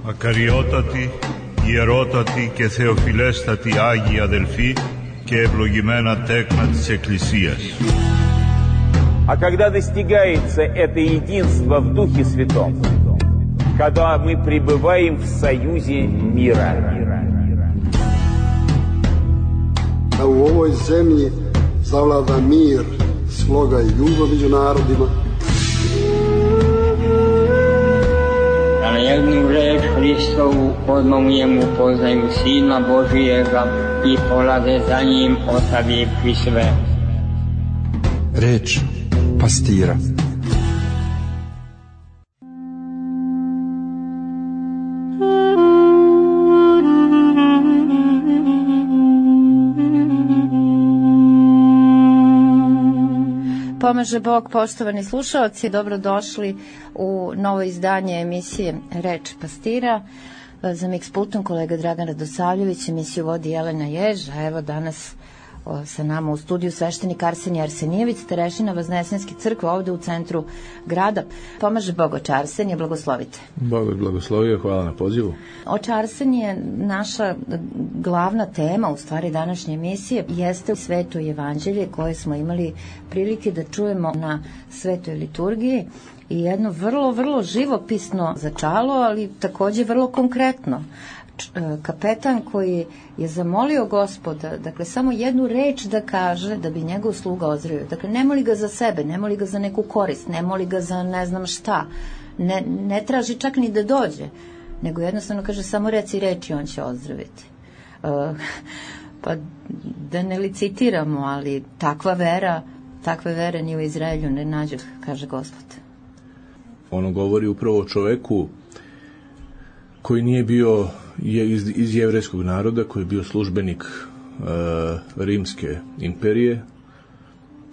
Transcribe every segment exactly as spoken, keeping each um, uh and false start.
Ακαριότατοι, ιερότατοι και θεοφιλέστατοι Άγιοι αδελφοί και ευλογημένα τέκνα της Εκκλησίας. А когда достигается это единство в Духе Святом, когда мы пребываем в союзе мира. Da u ovoj zemlji zavlada mir, sloga i ljubav među narodima. Da na jednu reč Hristovu odmah mu poznaju Sina Božijega i polaze za njim ostavivši sve. Reč pastira. Pomaže Bog, poštovani slušaoci, dobrodošli u novo izdanje emisije Reč pastira. Za Mix Pultom kolega Dragan Radosavljević, emisiju vodi Jelena Jež, a evo danas o, sa nama u studiju sveštenik Arsenije Arsenijević, starešina Vaznesenske crkve ovde u centru grada. Pomaže Bog, oče Arsenije, blagoslovite. Bog je blagoslovio, hvala na pozivu. Oče Arsenije, naša glavna tema, u stvari današnje emisije, jeste Sveto evanđelje koje smo imali prilike da čujemo na Svetoj liturgiji i jedno vrlo, vrlo živopisno začalo, ali takođe vrlo konkretno. Kapetan koji je zamolio Gospoda, dakle, samo jednu reč da kaže da bi njegov sluga ozdravio. Dakle, ne moli ga za sebe, ne moli ga za neku korist, ne moli ga za ne znam šta, ne, ne traži čak ni da dođe, nego jednostavno kaže samo reci reč i on će ozdraviti. Uh, pa da ne licitiramo, ali takva vera, takve vere ni u Izraelju ne nađu, kaže Gospod. Ono govori upravo o čoveku koji nije bio je iz, iz jevrejskog naroda, koji je bio službenik e, Rimske imperije.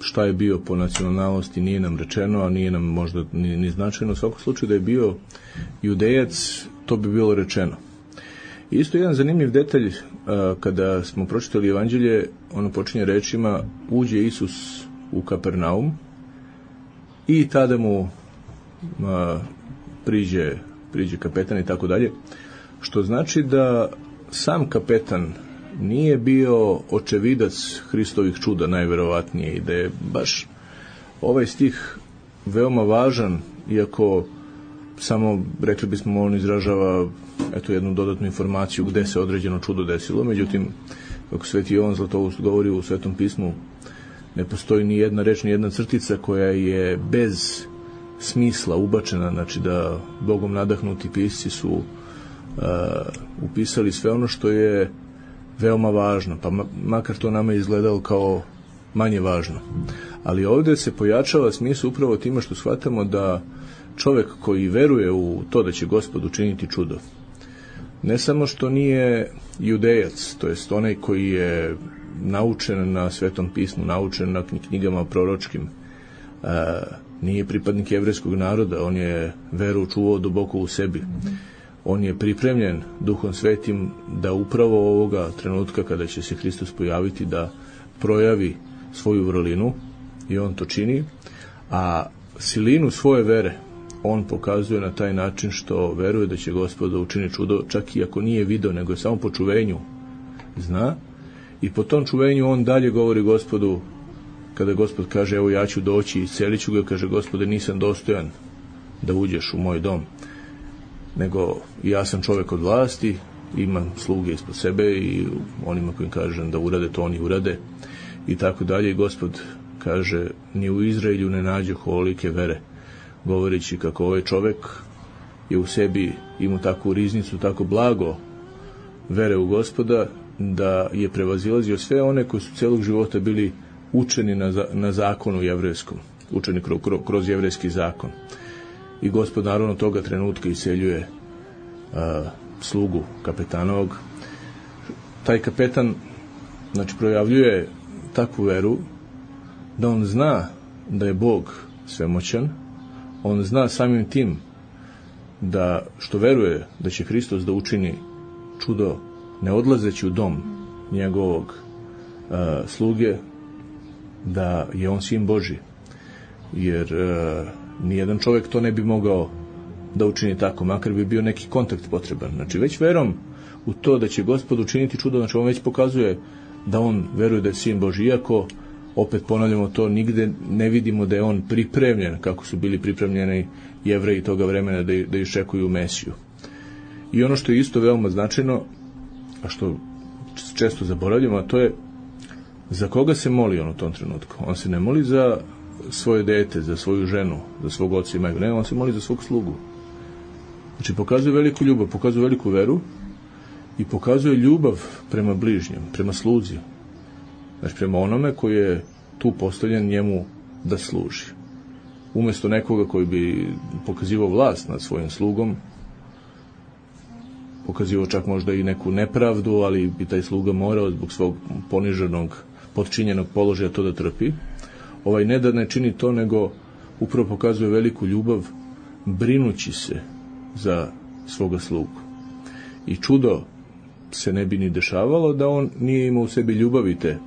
Šta je bio po nacionalnosti nije nam rečeno, a nije nam možda ni, ni značajno. U svakom slučaju da je bio judejac, to bi bilo rečeno. I isto jedan zanimljiv detalj, e, kada smo pročitali evanđelje, ono počinje rečima: uđe Isus u Kapernaum i tada mu a, priđe, priđe kapetan i tako dalje. Što znači da sam kapetan nije bio očevidac Hristovih čuda najverovatnije i da je baš ovaj stih veoma važan, iako samo, rekli bismo, on izražava eto jednu dodatnu informaciju gde se određeno čudo desilo. Međutim, kako Sveti Jovan Zlatoust govori u Svetom pismu, ne postoji ni jedna reč, ni jedna crtica koja je bez smisla ubačena, znači da Bogom nadahnuti pisci su uh, upisali sve ono što je veoma važno, pa makar to nama izgledalo kao manje važno. Ali ovde se pojačava smisao upravo time što shvatamo da čovek koji veruje u to da će Gospod učiniti čudo, ne samo što nije judejac, to jest onaj koji je naučen na Svetom pismu, naučen na knjigama proročkim, uh, nije pripadnik jevrejskog naroda, on je veru čuvao duboko u sebi. On je pripremljen Duhom Svetim da upravo ovoga trenutka kada će se Hristos pojaviti da projavi svoju vrlinu, i on to čini, a silinu svoje vere on pokazuje na taj način što veruje da će Gospod učini čudo, čak i ako nije video, nego je samo po čuvenju zna, i po tom čuvenju on dalje govori Gospodu. Kada Gospod kaže evo ja ću doći i iscelit ću ga, kaže Gospode nisam dostojan da uđeš u moj dom, nego ja sam čovjek od vlasti, imam sluge ispod sebe i onima kojim kažem da urade to oni urade i tako dalje. I Gospod kaže ni u Izraelju ne nađe ovolike vere, govoreći kako ovaj čovjek je u sebi imao takvu riznicu, tako blago vere u Gospoda da je prevazilazio sve one koji su celog života bili učeni na, na zakonu jevrejskom, učeni kroz, kroz jevrejski zakon. I Gospod naravno toga trenutka iseljuje a, slugu kapetanovog. Taj kapetan, znači, projavljuje takvu veru da on zna da je Bog svemoćan, on zna samim tim da što veruje da će Hristos da učini čudo ne odlazeći u dom njegovog a, sluge, da je on sin Božji, jer uh, nijedan čovjek to ne bi mogao da učini tako, makar bi bio neki kontakt potreban. Znači već verom u to da će Gospod učiniti čudo, znači on već pokazuje da on veruje da je Sin Božji, iako opet ponavljamo to, nigde ne vidimo da je on pripremljen kako su bili pripremljeni Jevreji toga vremena da, da iščekuju Mesiju. I ono što je isto veoma značajno, a što često zaboravljamo, a to je za koga se moli on u tom trenutku. On se ne moli za svoje dete, za svoju ženu, za svog oca i majku, ne, on se moli za svog slugu. Znači pokazuje veliku ljubav, pokazuje veliku veru i pokazuje ljubav prema bližnjem, prema sluzi. Znači prema onome koji je tu postavljen njemu da služi. Umjesto nekoga koji bi pokazivao vlast nad svojim slugom, pokazivao čak možda i neku nepravdu, ali bi taj sluga morao zbog svog poniženog, potčinjenog položaja to da trpi. Ovaj ne da ne čini to, nego upravo pokazuje veliku ljubav brinući se za svoga slugu. I čudo se ne bi ni dešavalo da on nije imao u sebi ljubavi te.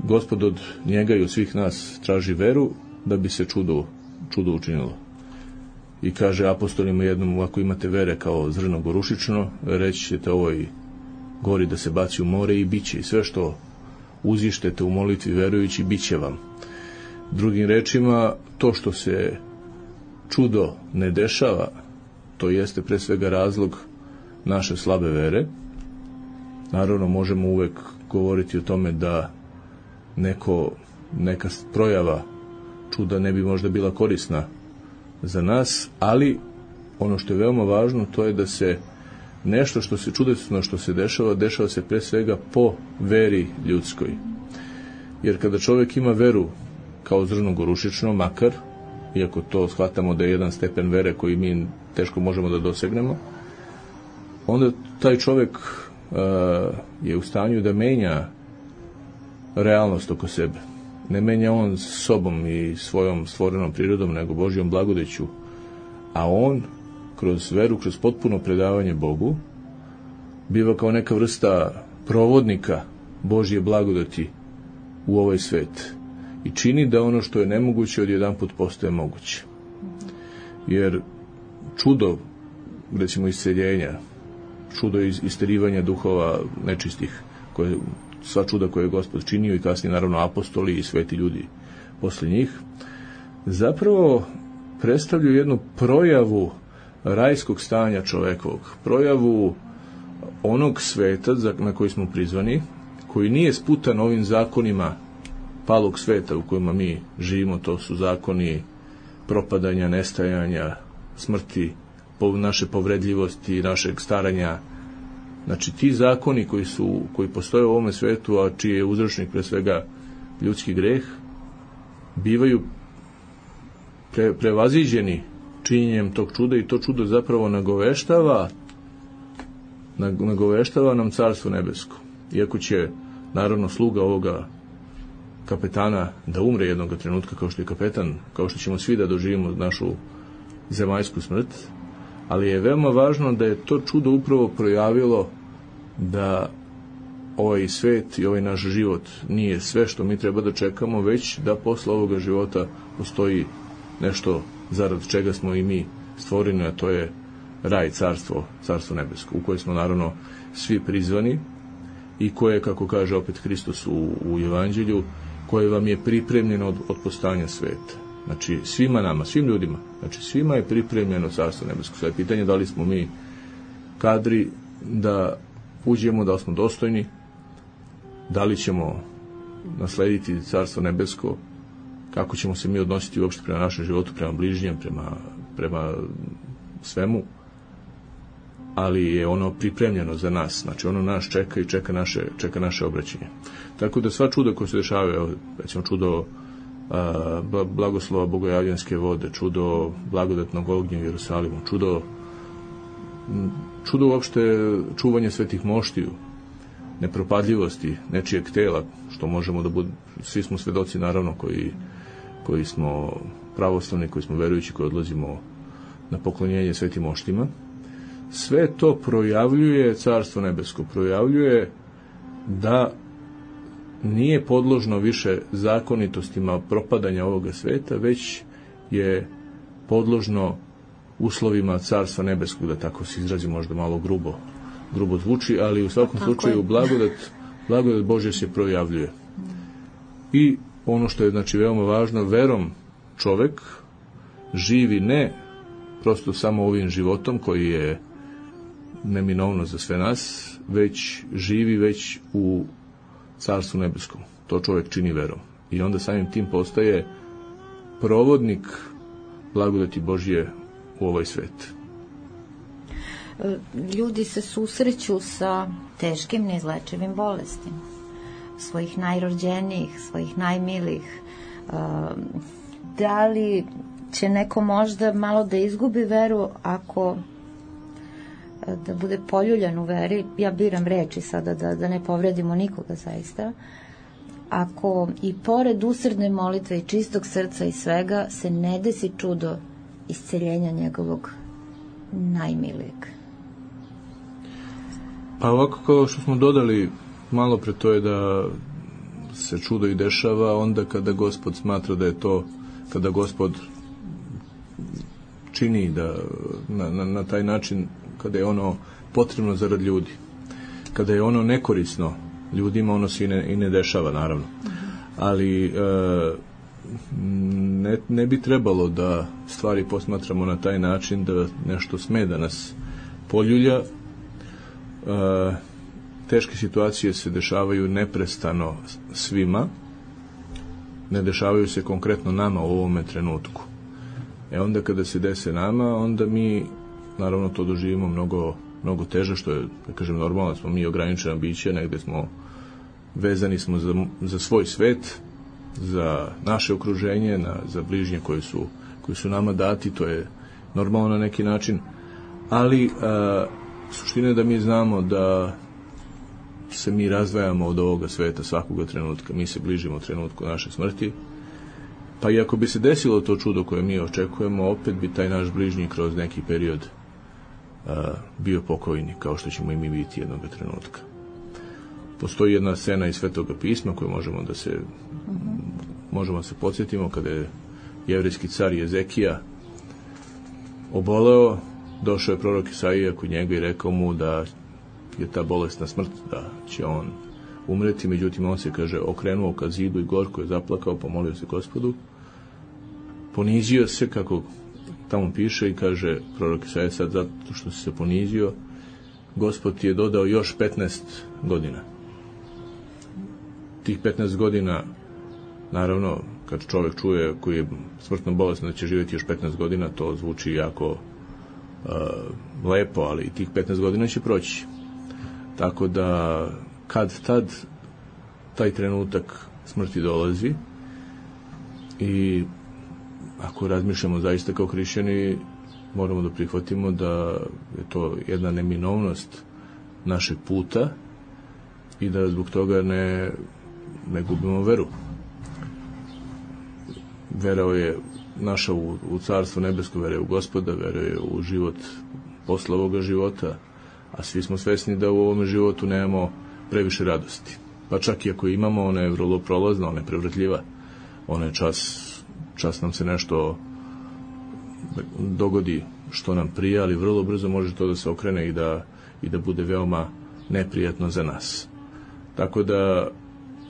Gospod od njega i od svih nas traži veru da bi se čudo, čudo učinilo. I kaže apostolima jednom, ako imate vere kao zrno gorušično, reći ćete ovoj gori da se baci u more i bit će. I sve što uzištete u molitvi verujući, bit će vam. Drugim rečima, to što se čudo ne dešava, to jeste pre svega razlog naše slabe vere. Naravno, možemo uvek govoriti o tome da neko, neka projava čuda ne bi možda bila korisna za nas, ali ono što je veoma važno, to je da se nešto što se čudesno što se dešava, dešava se pre svega po veri ljudskoj. Jer kada čovjek ima veru kao zrno gorušično, makar, iako to shvatamo da je jedan stepen vere koji mi teško možemo da dosegnemo, onda taj čovjek uh, je u stanju da menja realnost oko sebe. Ne menja on sobom i svojom stvorenom prirodom, nego Božjom blagodeću, a on kroz veru, kroz potpuno predavanje Bogu, biva kao neka vrsta provodnika Božje blagodati u ovaj svet i čini da ono što je nemoguće odjedanput postaje moguće. Jer čudo, recimo isceljenja, čudo isterivanja duhova nečistih, koje, sva čuda koje je Gospod činio i kasnije naravno apostoli i sveti ljudi posle njih, zapravo predstavljaju jednu projavu rajskog stanja čovekovog, projavu onog sveta na koji smo prizvani, koji nije sputan ovim zakonima palog sveta u kojima mi živimo. To su zakoni propadanja, nestajanja, smrti, naše povredljivosti, našeg staranja. Znači ti zakoni koji su koji postoje u ovome svetu, a čiji je uzročnik pre svega ljudski greh, bivaju pre, prevaziđeni činjenjem tog čuda i to čudo zapravo nagoveštava nagoveštava nam Carstvo nebesko. Iako će naravno sluga ovoga kapetana da umre jednog trenutka kao što je kapetan, kao što ćemo svi da doživimo našu zemaljsku smrt, ali je veoma važno da je to čudo upravo projavilo da ovaj svet i ovaj naš život nije sve što mi treba da čekamo, već da posle ovoga života postoji nešto zarad čega smo i mi stvoreni, a to je raj, carstvo, carstvo nebesko, u koje smo naravno svi prizvani i koje, kako kaže opet Hristos u, u Evanđelju, koje vam je pripremljeno od, od postojanja sveta. Znači, svima nama, svim ljudima, znači svima je pripremljeno carstvo nebesko. Sve je pitanje da li smo mi kadri da uđemo, da li smo dostojni, da li ćemo naslediti carstvo nebesko, kako ćemo se mi odnositi uopšte prema našem životu, prema bližnjem, prema, prema svemu, ali je ono pripremljeno za nas, znači ono nas čeka i čeka naše, čeka naše obraćanje. Tako da sva čuda koja se dešavaju, recimo čudo a, blagoslova bogojavljanske vode, čudo blagodatnog ognja u Jerusalimu, čudo čudo uopšte čuvanja svetih moštiju, nepropadljivosti nečijeg tela, što možemo da budemo, svi smo svedoci naravno koji, koji smo pravoslavni, koji smo verujući, koji odlazimo na poklonjenje svetim moštima. Sve to projavljuje Carstvo nebesko, projavljuje da nije podložno više zakonitostima propadanja ovoga sveta, već je podložno uslovima Carstva nebeskog, da tako se izrazi, možda malo grubo, grubo zvuči, ali u svakom tako slučaju je. blagodat, blagodat Božja se projavljuje. I ono što je, znači, veoma važno, verom čovek živi ne prosto samo ovim životom koji je neminovno za sve nas, već živi već u Carstvu nebeskom. To čovjek čini verom. I onda samim tim postaje provodnik blagodati Božje u ovaj svet. Ljudi se susreću sa teškim, neizlečivim bolestima. Svojih najrođenijih, svojih najmilijih. Da li će neko možda malo da izgubi veru ako da bude poljuljan u veri, ja biram reči sada da, da ne povredimo nikoga zaista, ako i pored usrdne molitve i čistog srca i svega se ne desi čudo isceljenja njegovog najmilijeg. Pa ovako, kao što smo dodali malo pre, to je da se čudo i dešava onda kada Gospod smatra da je to, kada Gospod čini da na, na, na taj način, kada je ono potrebno zarad ljudi, kada je ono nekorisno ljudima, ono se i ne, i ne dešava, naravno. Ali e, ne, ne bi trebalo da stvari posmatramo na taj način da nešto sme da nas poljulja. E, teške situacije se dešavaju neprestano svima, ne dešavaju se konkretno nama u ovome trenutku. E onda kada se dese nama, onda mi naravno to doživimo mnogo, mnogo teže, što je, da kažem, normalno, smo mi ograničena bića, negde smo vezani smo za, za svoj svet, za naše okruženje, na, za bližnje koji su, koji su nama dati, to je normalno na neki način, ali a, suština je da mi znamo da se mi razdvajamo od ovoga sveta svakoga trenutka, mi se bližimo trenutku naše smrti, pa i ako bi se desilo to čudo koje mi očekujemo, opet bi taj naš bližnji kroz neki period a, bio pokojni, kao što ćemo i mi biti jednog trenutka. Postoji jedna scena iz Svetoga pisma koju možemo da se mm-hmm. možemo da se podsjetimo, kada je jevrejski car Jezekija oboleo, došao je prorok Isaija kod njega i rekao mu da je ta bolesna smrt, da će on umreti, međutim on se, kaže, okrenuo ka zidu i gorko je zaplakao, pomolio se Gospodu, ponizio se, kako tamo piše, i kaže prorok Isaija, sad zato što si se ponizio, Gospod ti je dodao još petnaest godina. Tih petnaest godina, naravno, kad čovjek čuje koji je smrtno bolestan da će živjeti još petnaest godina, to zvuči jako uh, lepo, ali tih petnaest godina će proći. Tako da, kad tad taj trenutak smrti dolazi, i ako razmišljamo zaista kao hrišćani, moramo da prihvatimo da je to jedna neminovnost našeg puta i da zbog toga ne, ne gubimo veru. Vera je naša u, u Carstvo nebesko, vera je u Gospoda, vera je u život posle ovoga života, a svi smo svesni da u ovome životu nemamo previše radosti. Pa čak i ako imamo, ona je vrlo prolazna, ona je prevrtljiva, ona je čas, čas nam se nešto dogodi što nam prija, ali vrlo brzo može to da se okrene i da, i da bude veoma neprijatno za nas. Tako da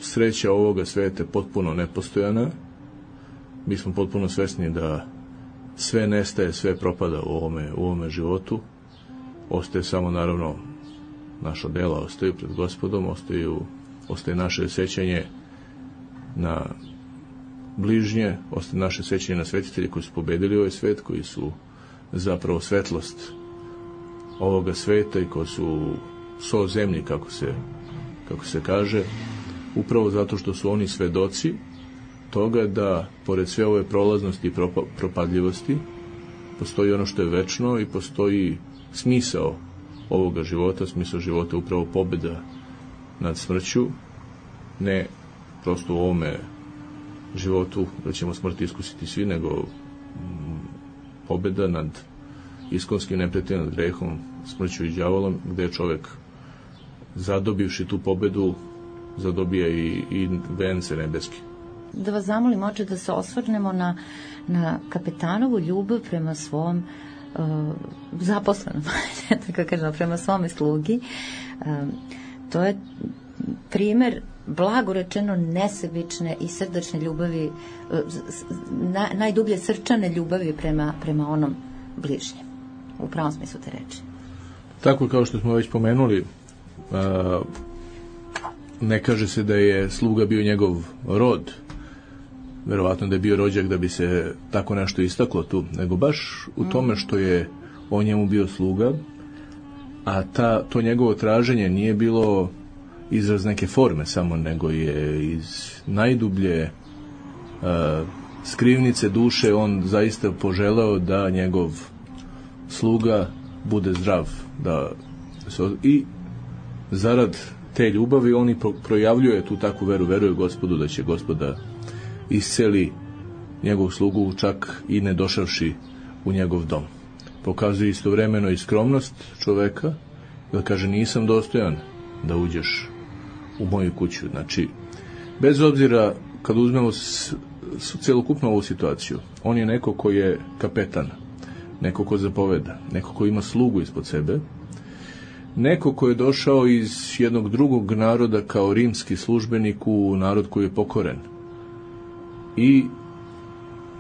sreća ovoga sveta je potpuno nepostojana. Mi smo potpuno svesni da sve nestaje, sve propada u ovome, u ovome životu. Ostaje samo, naravno, naša dela ostaju pred Gospodom, ostaju, ostaje naše sećanje na bližnje, ostaje naše sećanje na svetitelje koji su pobedili ovaj svet, koji su zapravo svetlost ovoga sveta i koji su so zemlji, kako se, kako se kaže, upravo zato što su oni svedoci toga da, pored sve ove prolaznosti i propadljivosti, postoji ono što je večno i postoji smisao ovoga života. Smisao života je upravo pobeda nad smrću, ne prosto u ovome životu da ćemo smrt iskusiti svi, nego pobeda nad iskonskim neprijateljem, nad grehom, smrću i đavolom, gde je čovek, zadobivši tu pobedu, zadobija i, i vence nebeski. Da vas zamolim, oče, da se osvrnemo na, na kapetanovu ljubav prema svom uh, zaposlenom, tako kažemo, prema svome slugi. Uh, to je primer blago rečeno nesebične i srdačne ljubavi, na, najdublje srčane ljubavi prema, prema onom bližnjem, u pravom smislu te reči. Tako kao što smo već pomenuli, ne kaže se da je sluga bio njegov rod, verovatno da je bio rođak da bi se tako nešto istaklo tu, nego baš u tome što je on njemu bio sluga, a ta, to njegovo traženje nije bilo izraz neke forme samo, nego je iz najdublje uh, skrivnice duše on zaista poželeo da njegov sluga bude zdrav, da i zarad te ljubavi on i projavljuje tu takvu veru, veruje Gospodu da će Gospoda isceli njegov slugu čak i ne došavši u njegov dom. Pokazuje istovremeno i skromnost čoveka, da kaže nisam dostojan da uđeš u moju kuću. Znači, bez obzira kad uzmemo s, s, celokupno ovu situaciju, on je neko ko je kapetan, neko ko zapoveda, neko ko ima slugu ispod sebe, neko ko je došao iz jednog drugog naroda kao rimski službenik u narod koji je pokoren i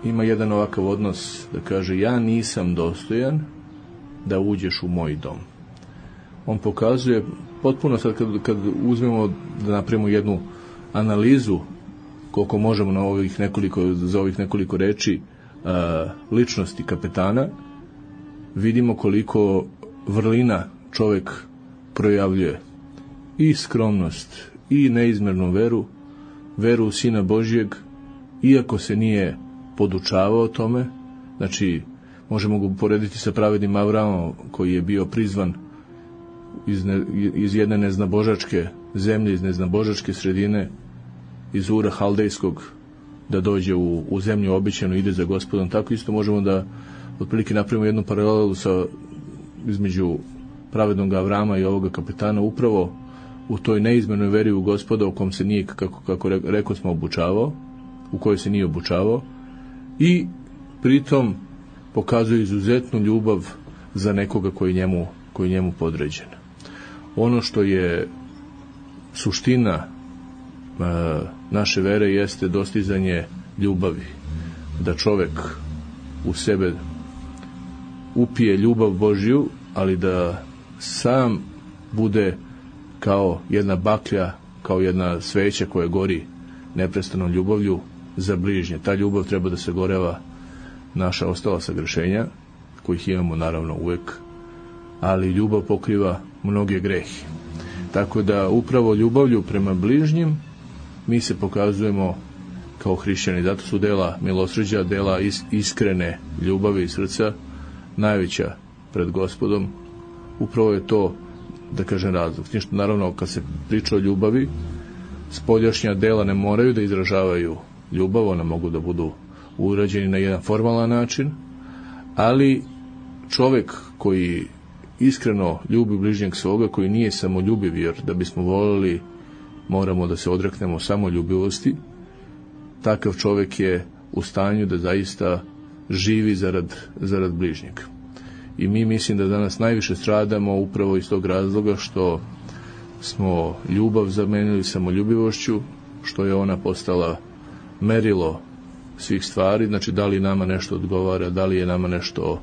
ima jedan ovakav odnos da kaže ja nisam dostojan da uđeš u moj dom. On pokazuje potpuno, sad kad, kad uzmemo da napravimo jednu analizu koliko možemo na ovih nekoliko, za ovih nekoliko reči a, ličnosti kapetana, vidimo koliko vrlina čovjek projavljuje i skromnost i neizmernu veru, veru u Sina Božjeg, iako se nije podučavao tome. Znači možemo ga porediti sa pravednim Avramom koji je bio prizvan iz, ne, iz jedne neznabožačke zemlje, iz neznabožačke sredine, iz Ura Haldejskog, da dođe u, u zemlju obećanu, ide za Gospodom. Tako isto možemo da otprilike napravimo jednu paralelu sa, između pravednog Avrama i ovoga kapetana, upravo u toj neizmjernoj veri u Gospoda u kom se nije, kako, kako rekao smo, obučavao, u kojoj se nije obučavao, i pritom pokazuje izuzetnu ljubav za nekoga koji njemu, koji njemu podređen. Ono što je suština e, naše vere jeste dostizanje ljubavi, da čovek u sebe upije ljubav Božju, ali da sam bude kao jedna baklja, kao jedna sveća koja gori neprestanom ljubavlju za bližnje. Ta ljubav treba da se goreva naša ostala sagrešenja, kojih imamo naravno uvek, ali ljubav pokriva mnoge grehe. Tako da upravo ljubavlju prema bližnjim mi se pokazujemo kao hrišćani. Zato su dela milosrđa, dela iskrene ljubavi iz srca najveća pred Gospodom. Upravo je to, da kažem, razlog. Ništa, naravno, kad se priča o ljubavi, spoljašnja dela ne moraju da izražavaju ljubav, ona mogu da budu urađeni na jedan formalan način, ali čovek koji iskreno ljubi bližnjeg svoga, koji nije samoljubiv, jer da bismo volili moramo da se odreknemo samoljubivosti, takav čovek je u stanju da zaista živi zarad, zarad bližnjeg. I mi mislim da danas najviše stradamo upravo iz tog razloga što smo ljubav zamenili samoljubivošću, što je ona postala merilo svih stvari. Znači, da li nama nešto odgovara, da li je nama nešto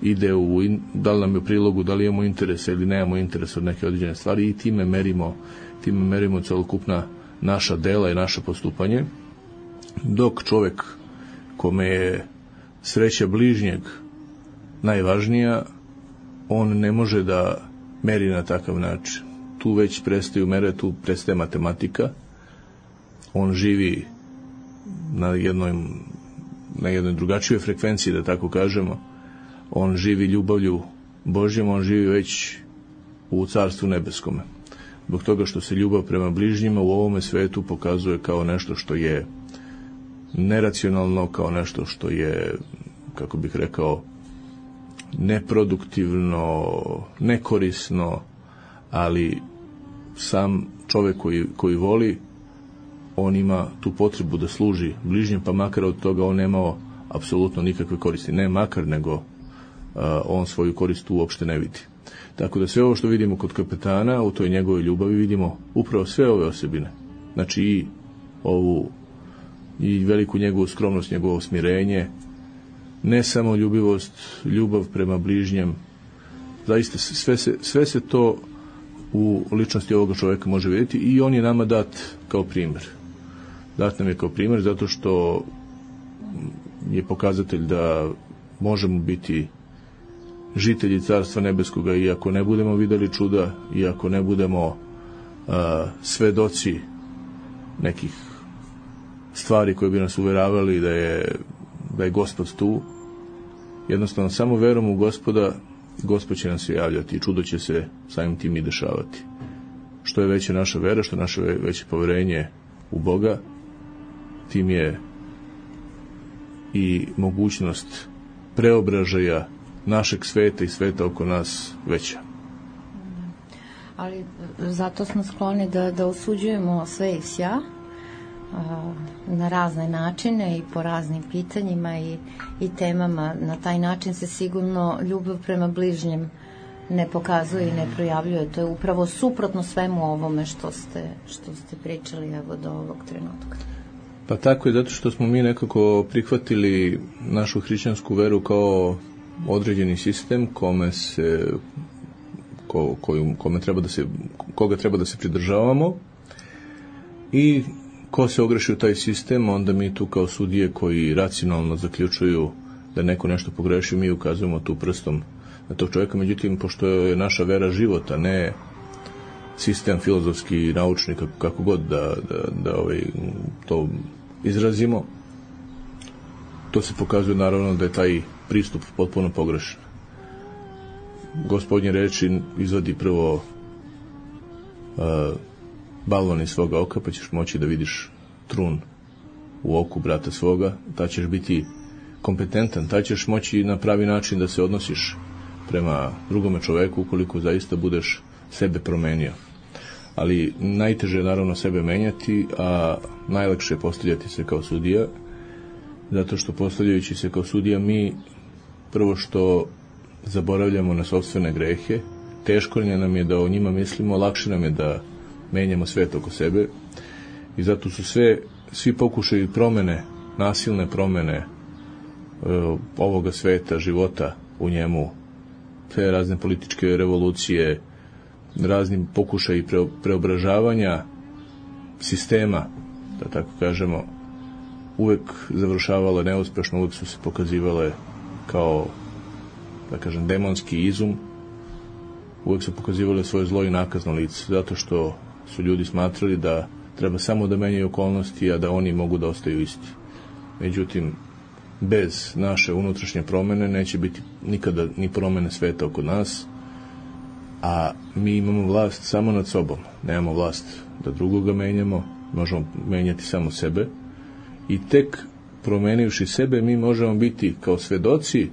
ide u, da li nam je u prilogu, da li imamo interese ili nemamo interese od neke određene stvari, i time merimo, time merimo celokupna naša dela i naše postupanje. Dok čovek kome je sreća bližnjeg najvažnija, on ne može da meri na takav način. Tu već prestaju mere, tu prestaje matematika. On živi na jednoj, na jednoj drugačijoj frekvenciji, da tako kažemo. On živi ljubavlju Božjom, on živi već u Carstvu nebeskome. Zbog toga što se ljubav prema bližnjima u ovome svetu pokazuje kao nešto što je neracionalno, kao nešto što je, kako bih rekao, neproduktivno, nekorisno, ali sam čovjek koji, koji voli, on ima tu potrebu da služi bližnjem, pa makar od toga on nemao apsolutno nikakve koristi. Ne makar, nego a, on svoju korist uopšte ne vidi. Tako da sve ovo što vidimo kod kapetana, u toj njegovoj ljubavi vidimo upravo sve ove osobine. Znači i ovu i veliku njegovu skromnost, njegovo smirenje, ne samo ljubivost, ljubav prema bližnjem. Zaista sve se, sve se to u ličnosti ovoga čovjeka može vidjeti i on je nama dat kao primjer. Dat nam je kao primjer zato što je pokazatelj da možemo biti žitelji Carstva Nebeskoga i ako ne budemo vidjeli čuda i ako ne budemo a, svedoci nekih stvari koje bi nas uvjeravali da je, da je Gospod tu, jednostavno samo verom u Gospoda Gospod će nam se javljati i čudo će se samim tim i dešavati. Što je veća naša vera, što je naše veće poverenje u Boga, tim je i mogućnost preobražaja našeg sveta i sveta oko nas veća. Ali zato smo skloni da, da osuđujemo sve i vsja na razne načine i po raznim pitanjima i, i temama. Na taj način se sigurno ljubav prema bližnjem ne pokazuje i ne projavljuje. To je upravo suprotno svemu ovome što ste, što ste pričali evo do ovog trenutka. Pa tako je, zato što smo mi nekako prihvatili našu hrišćansku veru kao određeni sistem kome se ko, koju, kome treba da se, koga treba da se pridržavamo i ko se ogreši u taj sistem, onda mi tu kao sudije koji racionalno zaključuju da neko nešto pogreši, mi ukazujemo tu prstom na tog čovjeka. Međutim, pošto je naša vera života, ne sistem filozofski, naučni, kako, kako god da, da, da ovaj, to izrazimo, to se pokazuje naravno da je taj pristup potpuno pogrešan. Gospodnje reči izvadi prvo uh, balvan iz svoga oka, pa ćeš moći da vidiš trun u oku brata svoga, ta ćeš biti kompetentan, ta ćeš moći na pravi način da se odnosiš prema drugome čoveku ukoliko zaista budeš sebe promenio. Ali najteže je naravno sebe menjati, a najlakše je postavljati se kao sudija, zato što postavljajući se kao sudija mi prvo što zaboravljamo na sopstvene grehe, teško nam je da o njima mislimo, lakše nam je da menjamo svet oko sebe i zato su sve, svi pokušaji promene, nasilne promene e, ovoga sveta, života u njemu, sve razne političke revolucije, raznim pokušaji pre, preobražavanja sistema, da tako kažemo, uvek završavale neuspešno, uvek su se pokazivale kao, da kažem, demonski izum, uvek su pokazivale svoje zlo i nakazno lice, zato što su ljudi smatrali da treba samo da menjaju okolnosti, a da oni mogu da ostaju isti. Međutim, bez naše unutrašnje promene neće biti nikada ni promene sveta oko nas, a mi imamo vlast samo nad sobom. Nemamo vlast da drugoga menjamo, možemo menjati samo sebe i tek promenivši sebe mi možemo biti kao svedoci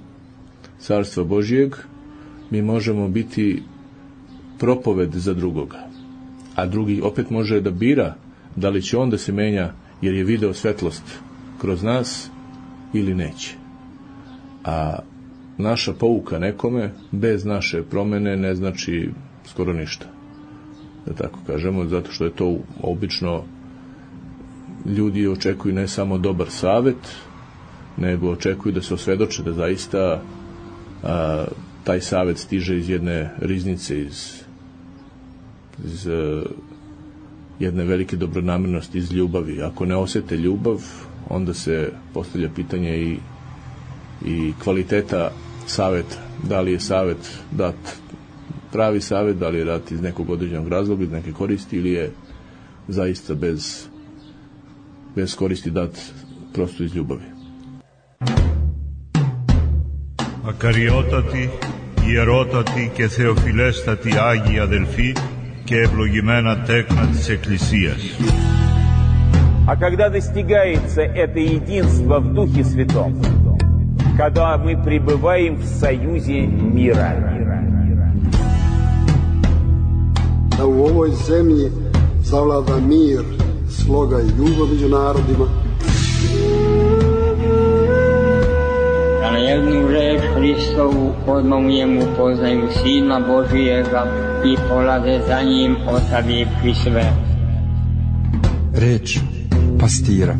Carstva Božijeg, mi možemo biti propoved za drugoga. A drugi opet može da bira da li će on da se menja jer je video svetlost kroz nas ili neće. A naša pouka nekome bez naše promene ne znači skoro ništa. Da tako kažemo, zato što je to obično ljudi očekuju ne samo dobar savet, nego očekuju da se osvedoče da zaista a, taj savet stiže iz jedne riznice, iz iz uh, jedne velike dobronamernosti, iz ljubavi. Ako ne osjete ljubav, onda se postavlja pitanje i, i kvaliteta saveta. Da li je savet dat pravi savet, da li je dat iz nekog određenog razloga, iz neke koristi, ili je zaista bez, bez koristi dat prosto iz ljubavi. Ακαριότατοι, ιερότατοι και θεοφιλέστατοι Άγιοι αδελφοί και ευλογημένα τέκνα της Εκκλησίας. А когда достигается это единство в Духе Святом, когда мы пребываем в союзе мира, da u ovoj zemlji zavlada mir, sloga i ljubav među narodima, da na jednu reč Hristovu, odmah u njemu poznaju Sina Božijega i polaze za njim, ostavivši sve. Reč pastira.